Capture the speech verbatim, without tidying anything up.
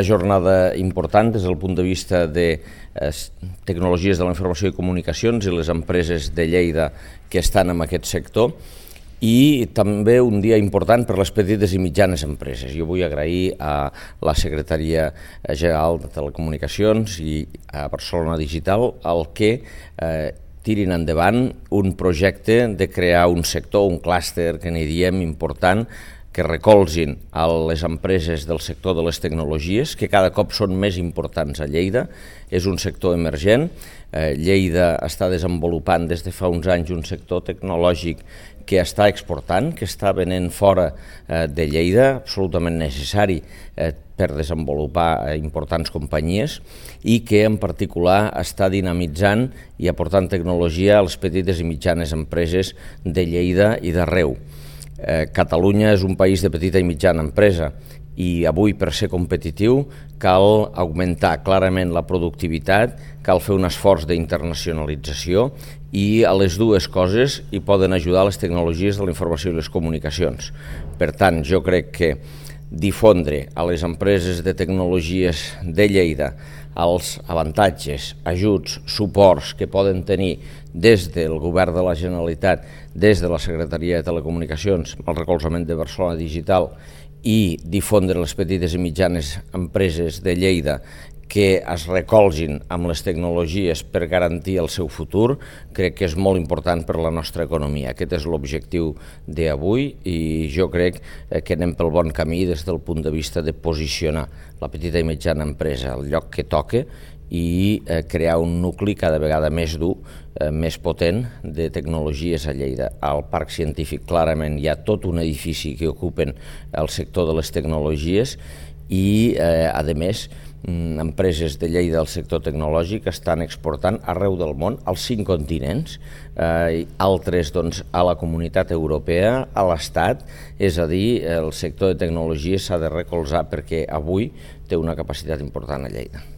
Una jornada important des del punt de vista de eh, tecnologies de la informació i comunicacions i les empreses de Lleida que estan en aquest sector, i també un dia important per les petites i mitjanes empreses. Jo vull agrair a la Secretaria General de Telecomunicacions i a Barcelona Digital el que eh, tirin endavant un projecte de crear un sector, un clúster que n'hi diem important, que recolzin a les empreses del sector de les tecnologies, que cada cop són més importants a Lleida. És un sector emergent. Eh, Lleida està desenvolupant des de fa uns anys un sector tecnològic que està exportant, que està venent fora eh, de Lleida, absolutament necessari eh, per desenvolupar eh, importants companyies, i que en particular està dinamitzant i aportant tecnologia a les petites i mitjanes empreses de Lleida i d'arreu. Eh, Catalunya és un país de petita i mitjana empresa i avui, per ser competitiu, cal augmentar clarament la productivitat, cal fer un esforç d'internacionalització, i a les dues coses hi poden ajudar les tecnologies de la informació i les comunicacions. Per tant, jo crec que difondre a les empreses de tecnologies de Lleida els avantatges, ajuts, suports que poden tenir des del Govern de la Generalitat, des de la Secretaria de Telecomunicacions, el recolzament de Barcelona Digital, i difondre les petites i mitjanes empreses de Lleida que es recolzin amb les tecnologies per garantir el seu futur, crec que és molt important per a la nostra economia. Aquest és l'objectiu d'avui i jo crec que anem pel bon camí des del punt de vista de posicionar la petita i mitjana empresa al lloc que toca i crear un nucli cada vegada més dur, més potent de tecnologies a Lleida. Al Parc Científic clarament hi ha tot un edifici que ocupen el sector de les tecnologies i, a més, empreses de Lleida del sector tecnològic estan exportant arreu del món, als cinc continents, eh, altres doncs, a la comunitat europea, a l'Estat, és a dir, el sector de tecnologia s'ha de recolzar perquè avui té una capacitat important a Lleida.